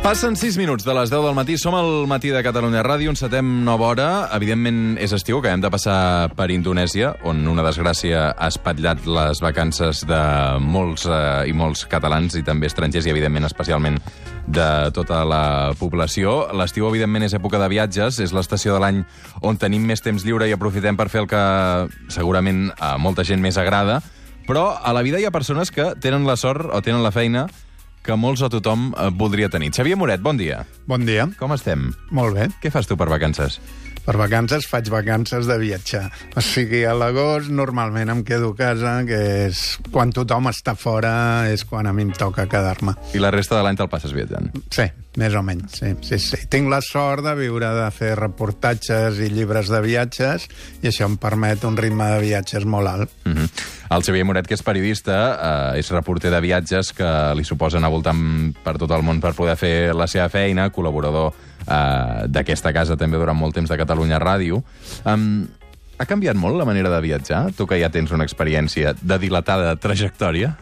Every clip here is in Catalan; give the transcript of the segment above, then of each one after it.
Passen 6 minuts de les 10 del matí. Som al Matí de Catalunya Ràdio, encetem nova hora. Evidentment és estiu, que hem de passar per Indonèsia, on una desgràcia ha espatllat les vacances de molts i molts catalans i també estrangers, i evidentment especialment de tota la població. L'estiu, evidentment, és època de viatges, és l'estació de l'any on tenim més temps lliure i aprofitem per fer el que segurament a molta gent més agrada, però a la vida hi ha persones que tenen la sort o tenen la feina que molts o tothom voldria tenir. Xavier Moret, bon dia. Bon dia. Com estem? Molt bé. Què fas tu per vacances? Per vacances faig vacances de viatjar. O sigui, a l'agost normalment em quedo a casa, que és quan tothom està fora, és quan a mi em toca quedar-me. I la resta de l'any te'l passes viatjant? Sí, més o menys, sí. Tinc la sort de viure, de fer reportatges i llibres de viatges, i això em permet un ritme de viatges molt alt. El Xavier Moret, que és periodista, és reporter de viatges, que li suposa anar voltant per tot el món per poder fer la seva feina, col·laborador d'aquesta casa també durant molt temps de Catalunya Ràdio. Ha canviat molt la manera de viatjar? Tu que ja tens una experiència de dilatada trajectòria,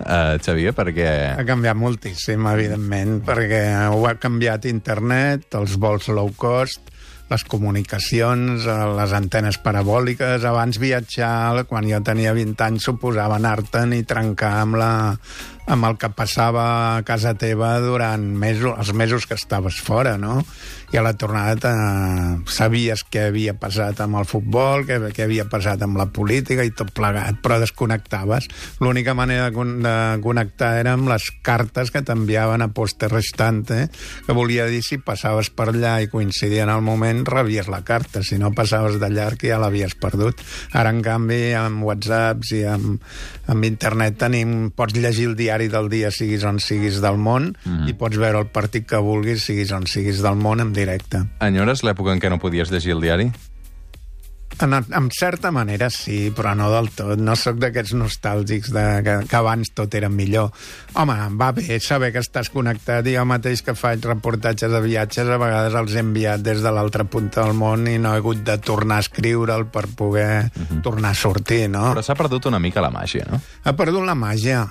Xavier, perquè... Ha canviat moltíssim, evidentment, perquè ho ha canviat internet, els vols low cost, les comunicacions, les antenes parabòliques. Abans viatjar, quan jo tenia 20 anys, suposava anar-te'n i trencar amb el que passava a casa teva durant els mesos que estaves fora, no? I a la tornada sabies què havia passat amb el futbol, què havia passat amb la política i tot plegat, però desconnectaves. L'única manera de connectar era amb les cartes que t'enviaven a poste restante, que volia dir si passaves per allà i coincidia en el moment, rebies la carta. Si no passaves de llarg, ja l'havies perdut. Ara, en canvi, amb WhatsApps i amb internet pots llegir el diari del dia, siguis on siguis del món, i pots veure el partit que vulguis, siguis on siguis del món, en directe. Enyores l'època en què no podies llegir el diari? En certa manera sí, però no del tot. No sóc d'aquests nostàlgics que abans tot era millor. Home, va bé saber que estàs connectat, i jo mateix que faig reportatges de viatges, a vegades els he enviat des de l'altra punta del món i no he hagut de tornar a escriure'l per poder tornar a sortir, no? Però s'ha perdut una mica la màgia, no? Ha perdut la màgia,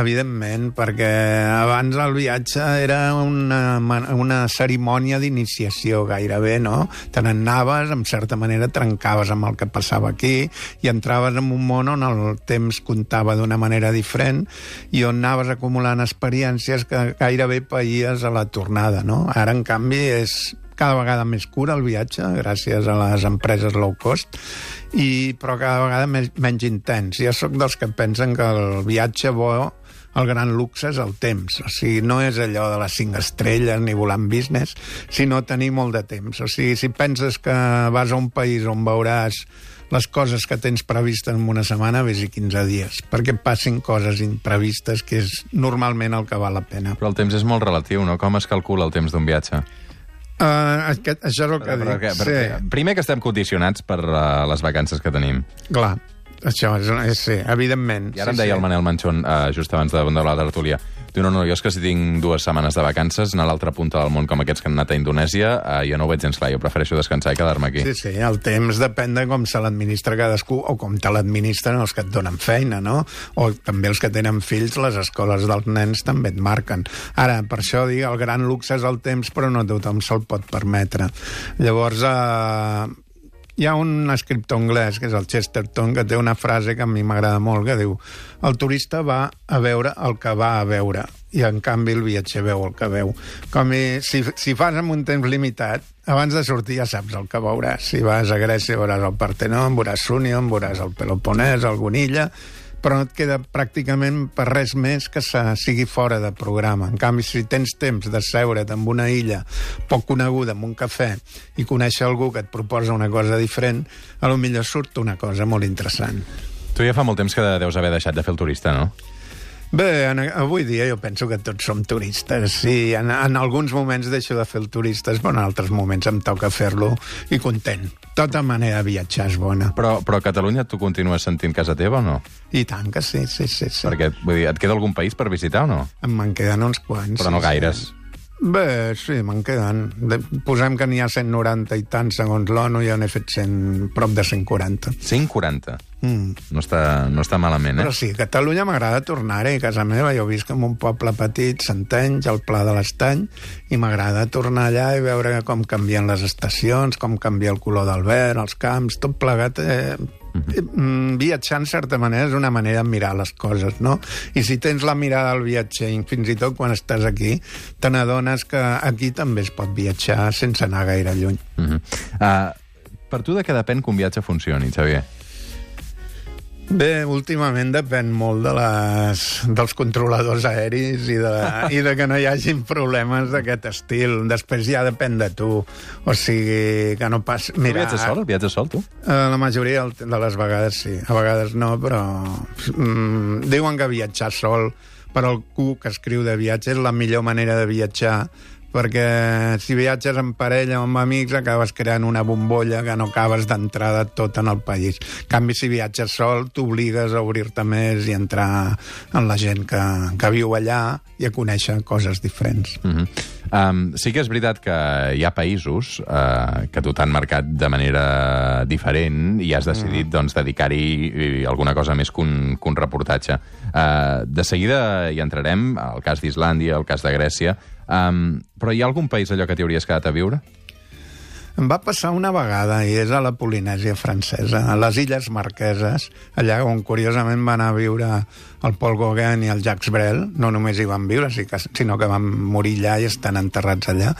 evidentment, perquè abans el viatge era una cerimònia d'iniciació gairebé, no? Te n'anaves, en certa manera trencaves amb el que passava aquí i entraves en un món on el temps comptava d'una manera diferent i on anaves acumulant experiències que gairebé païes a la tornada, no? Ara, en canvi, és cada vegada més cura el viatge, gràcies a les empreses low cost, però cada vegada menys intens. Jo sóc dels que pensen que el viatge bo, el gran luxe, és el temps. O sigui, no és allò de les 5 estrelles ni volant business, sinó tenir molt de temps. O sigui, si penses que vas a un país on veuràs les coses que tens previstes en una setmana, vés-hi 15 dies, perquè passin coses imprevistes, que és normalment el que val la pena. Però el temps és molt relatiu, no? Com es calcula el temps d'un viatge? Això és el que dic. Sí. Primer, que estem condicionats per les vacances que tenim. Clar. Això és sí, evidentment. I ara em deia el Manel Manchón, just abans de la tertúlia, diu, no, jo és que si tinc 2 setmanes de vacances, anar a l'altra punta del món com aquests que han anat a Indonèsia, jo no ho veig gens clar, jo prefereixo descansar i quedar-me aquí. Sí, el temps depèn de com se l'administra cadascú, o com te l'administren els que et donen feina, no? O també els que tenen fills, les escoles dels nens també et marquen. Ara, per això dic, el gran luxe és el temps, però no tothom se'l pot permetre. Llavors, hi ha un escriptor anglès, que és el Chesterton, que té una frase que a mi m'agrada molt, que diu: el turista va a veure el que va a veure, i en canvi el viatger veu el que veu. Si fas amb un temps limitat, abans de sortir ja saps el que veuràs. Si vas a Grècia veuràs el Partenon, veuràs Súnion, veuràs el Peloponès, alguna illa, però no et queda pràcticament per res més que sigui fora de programa. En canvi, si tens temps de seure't en una illa poc coneguda, amb un cafè, i conèixer algú que et proposa una cosa diferent, potser surt una cosa molt interessant. Tu ja fa molt temps que deus haver deixat de fer el turista, no? Bé, avui dia jo penso que tots som turistes. Sí, en alguns moments deixo de fer el turista, però en altres moments em toca fer-lo i content. Tota manera de viatjar és bona. Però a Catalunya tu continues sentint casa teva o no? I tant que sí. Perquè, vull dir, et queda algun país per visitar o no? Me'n queden uns quants. Però no gaires. Bé, sí, me'n queden. Posem que n'hi ha 190 i tant segons l'ONU, jo n'he fet prop de 140. 140? No està malament, Però sí, a Catalunya m'agrada tornar-hi. A casa meva jo visc en un poble petit, Centenys, al Pla de l'Estany, i m'agrada tornar allà i veure com canvien les estacions, com canvia el color del verd, els camps, tot plegat. Viatjar, en certa manera, és una manera de mirar les coses, no? I si tens la mirada del viatger, fins i tot quan estàs aquí, te n'adones que aquí també es pot viatjar sense anar gaire lluny. Per tu de què depèn que un viatge funcioni, Xavier? Bé, últimament depèn molt dels controladors aeris i de que no hi hagin problemes d'aquest estil. Després ja depèn de tu. O sigui, que no pas... Mira, Tu viatges sol? Viatges sol, tu? La majoria de les vegades sí. A vegades no, però... diuen que viatjar sol per algú que escriu de viatge és la millor manera de viatjar, perquè si viatges en parella o amb amics acabes creant una bombolla que no acabes d'entrada tot en el país. En canvi, si viatges sol, t'obligues a obrir-te més i entrar en la gent que viu allà i a conèixer coses diferents. Sí que és veritat que hi ha països que tu t'han marcat de manera diferent i has decidit dedicar-hi alguna cosa més que un reportatge. De seguida hi entrarem, el cas d'Islàndia, el cas de Grècia, però hi ha algun país allò que t'hi hauries quedat a viure? Em va passar una vegada, i és a la Polinèsia francesa, a les Illes Marqueses, allà on curiosament van a viure el Paul Gauguin i el Jacques Brel. No només hi van viure, sinó que van morir allà i estan enterrats allà.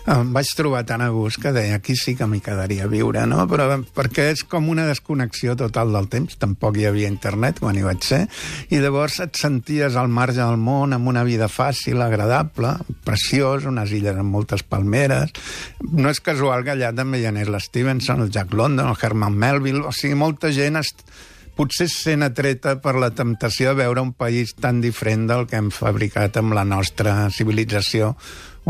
Em vaig trobar tan a gust que deia, aquí sí que m'hi quedaria a viure, no? Però perquè és com una desconnexió total del temps. Tampoc hi havia internet quan hi vaig ser, i llavors et senties al marge del món, amb una vida fàcil, agradable, preciós, unes illes amb moltes palmeres. No és casual que allà també hi anés l'Stevenson, el Jack London, el Herman Melville, o sigui, molta gent potser sent atreta per la temptació de veure un país tan diferent del que hem fabricat amb la nostra civilització,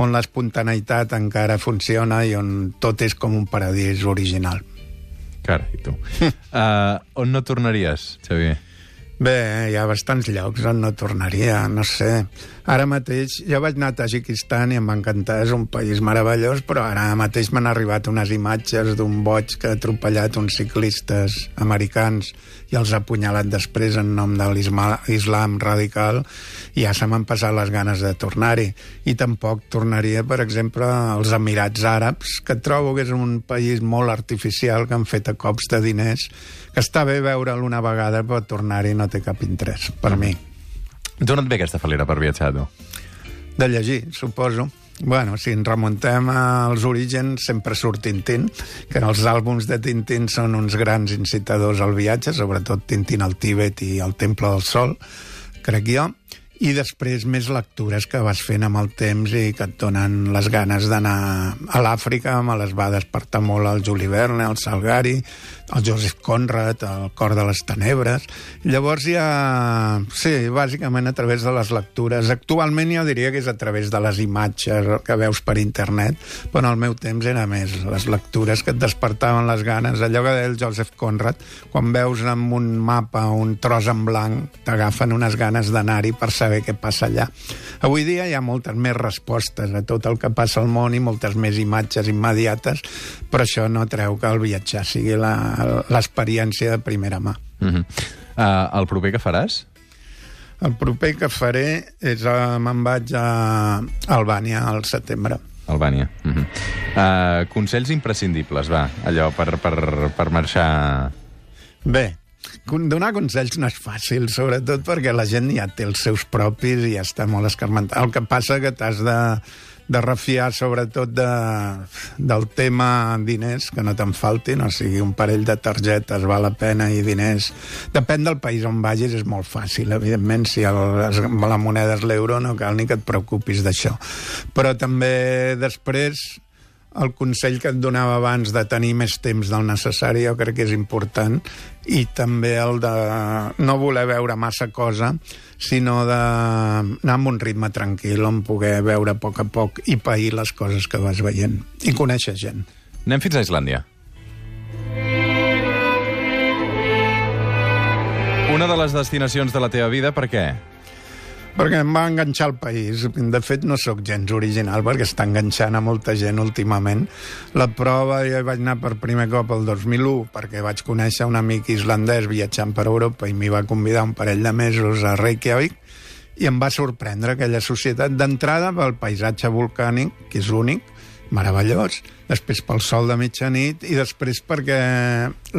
on l'espontaneïtat encara funciona i on tot és com un paradís original. Carai, tu. On no tornaries, Xavier? Bé, hi ha bastants llocs on no tornaria, no sé. Ara mateix, jo vaig anar a Tajikistan i em va encantar, és un país meravellós, però ara mateix m'han arribat unes imatges d'un boig que ha atropellat uns ciclistes americans i els ha apunyalat després en nom de l'islam radical, i ja se m'han passat les ganes de tornar-hi. I tampoc tornaria, per exemple, als Emirats Àrabs, que trobo que és un país molt artificial, que han fet a cops de diners, que està bé veure'l una vegada, però tornar-hi no té cap interès, per mi. D'on et ve aquesta falera per viatjar, tu? De llegir, suposo. Bueno, si ens remuntem als orígens, sempre surt Tintín, que els àlbums de Tintín són uns grans incitadors al viatge, sobretot Tintín al Tíbet i al Temple del Sol, crec jo, i després més lectures que vas fent amb el temps i que et donen les ganes d'anar a l'Àfrica. Me les va despertar molt el Juli Verne, el Salgari, el Joseph Conrad, el Cor de les Tenebres. Llavors ja... Sí, bàsicament a través de les lectures. Actualment jo diria que és a través de les imatges que veus per internet, però en el meu temps era més les lectures que et despertaven les ganes. Allò que deia el Joseph Conrad, quan veus en un mapa un tros en blanc, t'agafen unes ganes d'anar-hi per saber què passa allà. Avui dia hi ha moltes més respostes a tot el que passa al món i moltes més imatges immediates, però això no treu que el viatjar sigui l'experiència de primera mà. El proper que faràs? El proper que faré és... me'n vaig a Albània al setembre. Albània. Consells imprescindibles, va, allò per marxar... Bé, donar consells no és fàcil, sobretot perquè la gent ja té els seus propis i ja està molt escarmentat. El que passa que t'has de refiar sobretot del tema diners, que no te'n faltin, o sigui, un parell de targetes val la pena i diners. Depèn del país on vagis, és molt fàcil, evidentment, si la moneda és l'euro no cal ni que et preocupis d'això. Però també després... El consell que et donava abans de tenir més temps del necessari jo crec que és important, i també el de no voler veure massa cosa, sinó d'anar amb un ritme tranquil on poder veure a poc i pair les coses que vas veient i conèixer gent. Anem fins a Islàndia. Una de les destinacions de la teva vida, per què? Perquè em va enganxar el país. De fet, no sóc gens original, perquè està enganxant a molta gent últimament. La prova, jo vaig anar per primer cop el 2001, perquè vaig conèixer un amic islandès viatjant per Europa i m'hi va convidar un parell de mesos a Reykjavik, i em va sorprendre aquella societat d'entrada pel paisatge volcànic, que és únic, meravellós, després pel sol de mitjanit i després perquè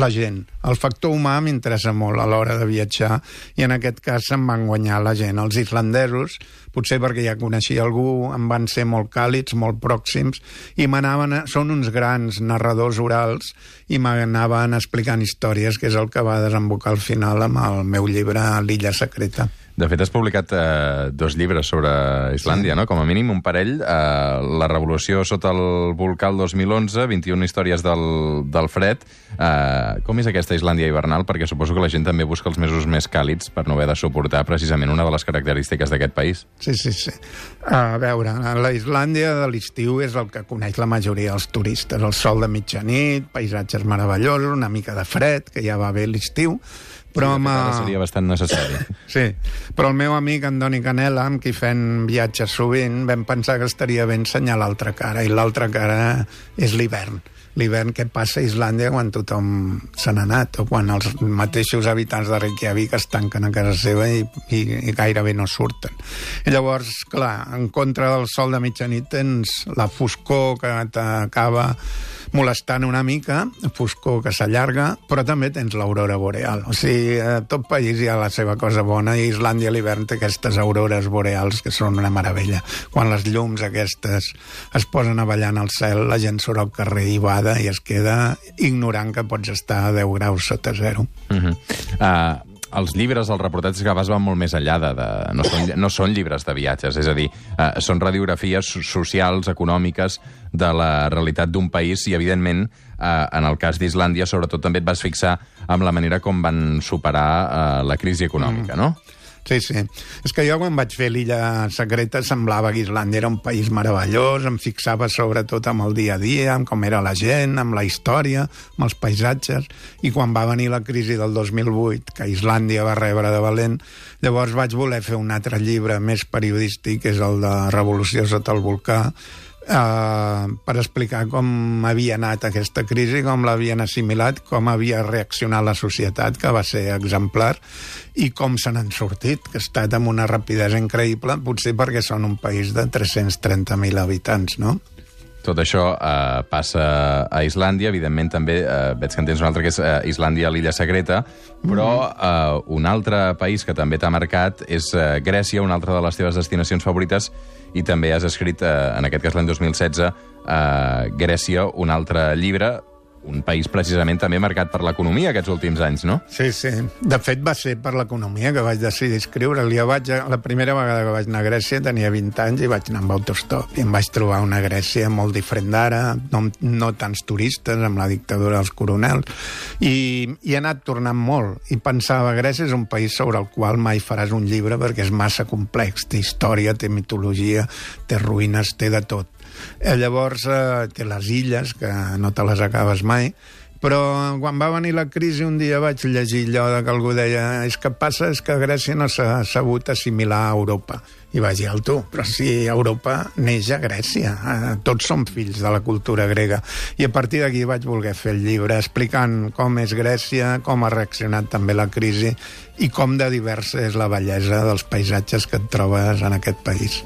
la gent, el factor humà m'interessa molt a l'hora de viatjar i en aquest cas se'm van guanyar la gent. Els islandesos, potser perquè ja coneixia algú, em van ser molt càlids, molt pròxims i són uns grans narradors orals i m'anaven explicant històries, que és el que va desembocar al final amb el meu llibre L'illa secreta. De fet, has publicat 2 llibres sobre Islàndia, no? Com a mínim un parell. La revolució sota el volcà el 2011, 21 històries del fred. Com és aquesta Islàndia hivernal? Perquè suposo que la gent també busca els mesos més càlids per no haver de suportar precisament una de les característiques d'aquest país. Sí. A veure, la Islàndia de l'estiu és el que coneix la majoria dels turistes. El sol de mitjanit, paisatges meravellosos, una mica de fred, que ja va bé l'estiu, però seria bastant necessari. Sí, però el meu amic Andoni Canela, amb qui fem viatges sovint, vam pensar que estaria bé ensenyar l'altra cara, i l'altra cara és l'hivern. L'hivern que passa a Islàndia quan tothom se n'ha anat, o quan els mateixos habitants de Reykjavik es tanquen a casa seva i gairebé no surten. I llavors, clar, en contra del sol de mitjanit tens la foscor que t'acaba molestant una mica, foscor que s'allarga, però també tens l'aurora boreal. O sigui, a tot país hi ha la seva cosa bona, i Islàndia a l'hivern té aquestes aurores boreals que són una meravella. Quan les llums aquestes es posen a ballar en el cel, la gent surt al carrer i bada i es queda ignorant que pots estar a 10 graus sota zero. Els llibres, els reportatges que fas van molt més enllà no són llibres de viatges, és a dir, són radiografies socials, econòmiques, de la realitat d'un país i, evidentment, en el cas d'Islàndia, sobretot també et vas fixar amb la manera com van superar la crisi econòmica, no? Sí. És que jo quan vaig fer l'illa secreta semblava que Islàndia era un país meravellós, em fixava sobretot amb el dia a dia, amb com era la gent, amb la història, amb els paisatges, i quan va venir la crisi del 2008, que Islàndia va rebre de valent, llavors vaig voler fer un altre llibre més periodístic, que és el de Revolució sota el volcà, per explicar com havia anat aquesta crisi, com l'havien assimilat, com havia reaccionat la societat, que va ser exemplar, i com se n'han sortit, que ha estat amb una rapidesa increïble, potser perquè són un país de 330.000 habitants, no? Tot això passa a Islàndia, evidentment també veig que en tens un altre que és Islàndia, l'illa secreta, però un altre país que també t'ha marcat és Grècia, una altra de les teves destinacions favorites, i també has escrit, en aquest cas l'any 2016, Grècia, un altre llibre, un país precisament també marcat per l'economia aquests últims anys, no? Sí. De fet, va ser per l'economia que vaig decidir escriure-li. La primera vegada que vaig anar a Grècia tenia 20 anys i vaig anar amb autostop. I em vaig trobar una Grècia molt diferent d'ara, no tants turistes, amb la dictadura dels coronels. I he anat tornant molt. I pensava, Grècia és un país sobre el qual mai faràs un llibre perquè és massa complex. Té història, té mitologia, té ruïnes, té de tot. Llavors té les illes, que no te les acabes mai, però quan va venir la crisi un dia vaig llegir allò que algú deia que passa és que Grècia no s'ha sabut assimilar a Europa. I vaig dir, però si Europa neix a Grècia, tots som fills de la cultura grega. I a partir d'aquí vaig voler fer el llibre explicant com és Grècia, com ha reaccionat també la crisi i com de diversa és la bellesa dels paisatges que et trobes en aquest país.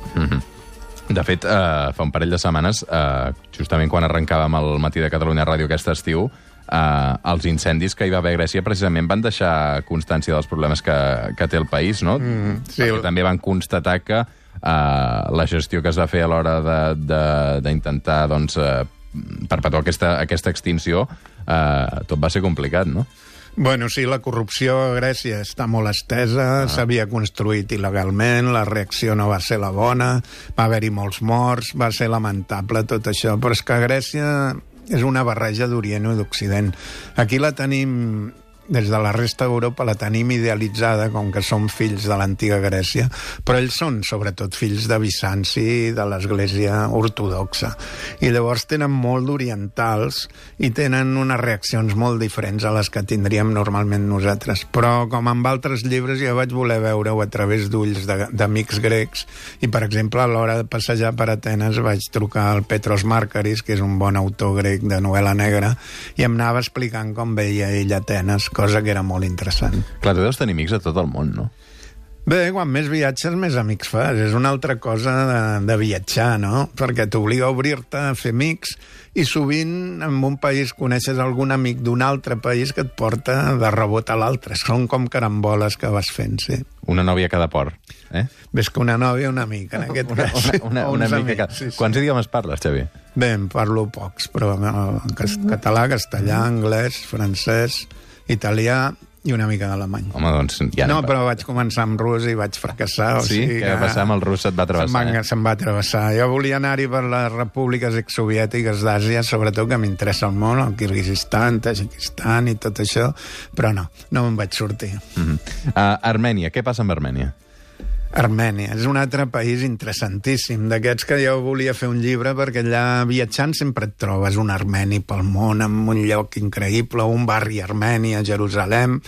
De fet, fa un parell de setmanes, justament quan arrencàvem el Matí de Catalunya Ràdio aquest estiu, els incendis que hi va haver a Grècia precisament van deixar constància dels problemes que té el país, no? Sí. Perquè també van constatar que la gestió que es va fer a l'hora d'intentar perpetuar aquesta extinció, tot va ser complicat, no? Bueno, sí, la corrupció a Grècia està molt estesa, s'havia construït il·legalment, la reacció no va ser la bona, va haver-hi molts morts, va ser lamentable tot això, però és que Grècia és una barreja d'Orient i d'Occident. Aquí la tenim des de la resta d'Europa la tenim idealitzada com que som fills de l'antiga Grècia, però ells són sobretot fills de Bizanci, de l'Església ortodoxa. I llavors tenen molt d'orientals i tenen unes reaccions molt diferents a les que tindríem normalment nosaltres. Però, com amb altres llibres, jo vaig voler veure-ho a través d'ulls d'amics grecs i, per exemple, a l'hora de passejar per Atenes vaig trucar al Petros Markaris, que és un bon autor grec de novel·la negra, i em anava explicant com veia ell Atenes, cosa que era molt interessant. Clar, tu deus tenir amics a tot el món, no? Bé, quan més viatges, més amics fas. És una altra cosa de viatjar, no? Perquè t'obliga a obrir-te, a fer amics, i sovint en un país coneixes algun amic d'un altre país que et porta de rebot a l'altre. Són com caramboles que vas fent, sí. Una nòvia a cada port, eh? Ves que una nòvia, un amic, en aquest cas. Una amica cada... Sí, sí. Quants idiomes parles, Xavi? Bé, en parlo pocs, però català, castellà, anglès, francès, italià i una mica d'alemany. Home, doncs... Ja no, però vaig començar amb rus i vaig fracassar. Sí? Què va passar amb el rus? Se't va travessar? Se'm va travessar. Jo volia anar-hi per les repúbliques exsoviètiques d'Àsia, sobretot que m'interessa el món, el Kirguizistan, Tajikistan i tot això, però no me'n vaig sortir. Armènia, què passa amb Armènia? Armènia és un altre país interessantíssim, d'aquests que jo volia fer un llibre, perquè allà viatjant sempre et trobes un armeni pel món, en un lloc increïble, un barri armeni a Jerusalem,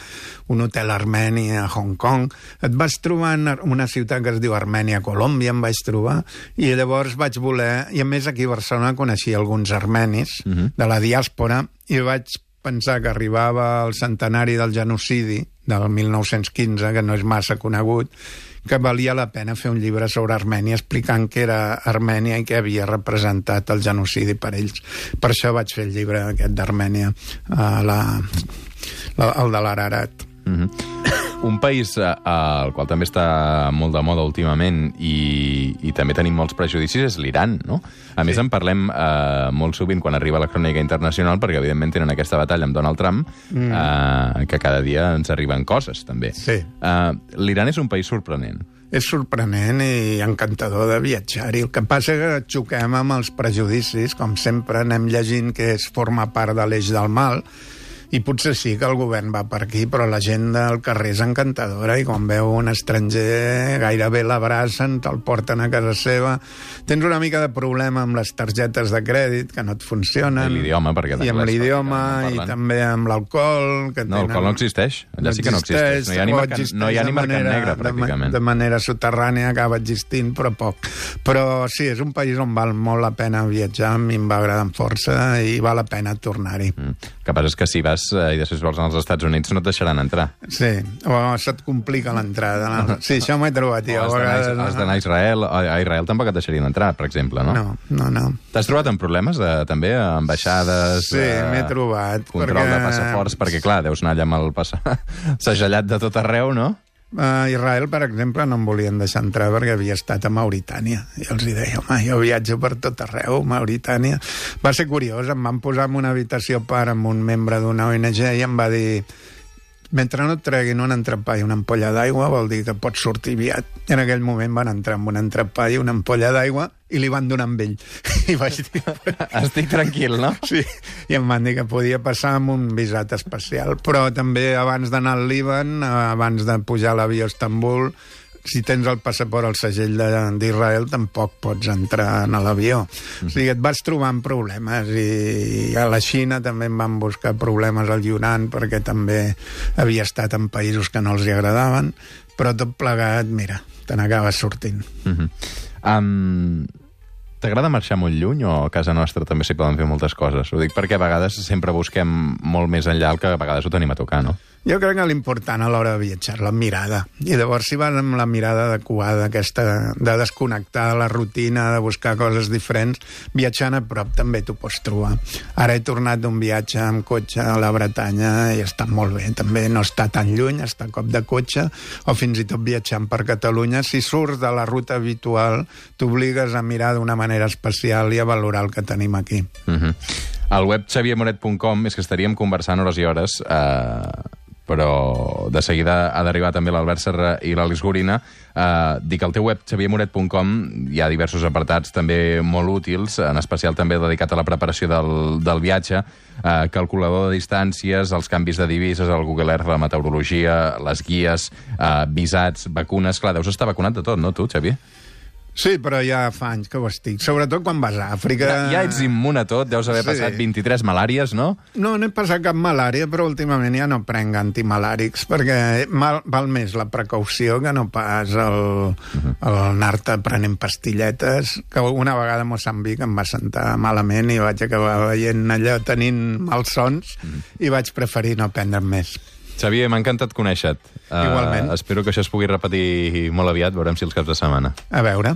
un hotel armeni a Hong Kong. Et vas trobar en una ciutat que es diu Armènia, Colòmbia, em vaig trobar, i llavors vaig voler, i a més aquí a Barcelona coneixia alguns armenis de la diàspora, i vaig pensar que arribava el centenari del genocidi del 1915, que no és massa conegut, que valia la pena fer un llibre sobre Armènia explicant què era Armènia i què havia representat el genocidi per ells. Per això vaig fer el llibre aquest d'Armènia, el de l'Ararat. Un país al qual també està molt de moda últimament i també tenim molts prejudicis és l'Iran, no? A més, en parlem molt sovint quan arriba la crònica internacional, perquè evidentment tenen aquesta batalla amb Donald Trump, que cada dia ens arriben coses, també. Sí. L'Iran és un país sorprenent. És sorprenent i encantador de viatjar-hi. El que passa és que xoquem amb els prejudicis, com sempre anem llegint que forma part de l'eix del mal, i potser sí que el govern va per aquí, però la gent del carrer és encantadora i quan veu un estranger gairebé l'abracen, te'l porten a casa seva. Tens una mica de problema amb les targetes de crèdit, que no et funcionen. I l'idioma, perquè i amb l'idioma, i també amb l'alcohol. No, l'alcohol no existeix. Allà sí que no existeix. No hi ha ni mercat negre, pràcticament. De manera soterrània acaba existint, però poc. Però sí, és un país on val molt la pena viatjar, a mi em va agradar amb força i val la pena tornar-hi. El que passa és que si vas i després vols anar als Estats Units no et deixaran entrar. Sí, o se't complica l'entrada. Sí, això m'ho he trobat. Has d'anar a Israel. A Israel tampoc et deixarien entrar, per exemple, no? No. T'has trobat amb problemes, també, ambaixades? Sí, m'he trobat. Control de passaports, perquè, clar, deus anar allà amb el segellat de tot arreu, no? A Israel, per exemple, no em volien deixar entrar perquè havia estat a Mauritània. I els deia, home, jo viatjo per tot arreu, Mauritània. Va ser curiós, em van posar en una habitació a part amb un membre d'una ONG i em va dir, mentre no et treguin un entrepà i una ampolla d'aigua, vol dir que pots sortir aviat. I en aquell moment van entrar amb un entrepà i una ampolla d'aigua i li van donar amb ell. I vaig dir... Estic tranquil, no? Sí, i em van dir que podia passar amb un visat especial. Però també abans d'anar al Líban, abans de pujar a l'avió a Istanbul, si tens el passaport al segell d'Israel, tampoc pots entrar a l'avió. O sigui, et vas trobar amb problemes i a la Xina també em van buscar problemes al Yunnan perquè també havia estat en països que no els hi agradaven, però tot plegat, mira, te n'acabes sortint. T'agrada marxar molt lluny o a casa nostra també s'hi poden fer moltes coses? Ho dic perquè a vegades sempre busquem molt més enllà el que a vegades ho tenim a tocar, no? Jo crec que l'important a l'hora de viatjar, la mirada. I llavors, si vas amb la mirada adequada, aquesta de desconnectar de la rutina, de buscar coses diferents, viatjant a prop també t'ho pots trobar. Ara he tornat d'un viatge amb cotxe a la Bretanya i està molt bé. També no està tan lluny, està a cop de cotxe, o fins i tot viatjant per Catalunya. Si surts de la ruta habitual, t'obligues a mirar d'una manera especial i a valorar el que tenim aquí. Al web xaviermoret.com és que estaríem conversant hores i hores però de seguida ha d'arribar també l'Albert Serra i l'Àlex Gorina. Dic, al teu web, xaviermoret.com, hi ha diversos apartats també molt útils, en especial també dedicat a la preparació del viatge, calculador de distàncies, els canvis de divises, el Google Earth, la meteorologia, les guies, visats, vacunes... Clar, deus estar vacunat de tot, no, tu, Xavier? Sí, però ja fa anys que ho estic. Sobretot quan vas a Àfrica... Ja ets immun a tot, deus haver passat 23 malàries, no? No he passat cap malària, però últimament ja no prenc antimalàrics, perquè val més la precaució que no pas anar-te prenent pastilletes, que una vegada a Moçambic em va sentar malament i vaig acabar veient allò tenint malsons i vaig preferir no prendre'n més. Xavier, m'ha encantat conèixer-te. Igualment. Espero que això es pugui repetir molt aviat, veurem si els caps de setmana. A veure.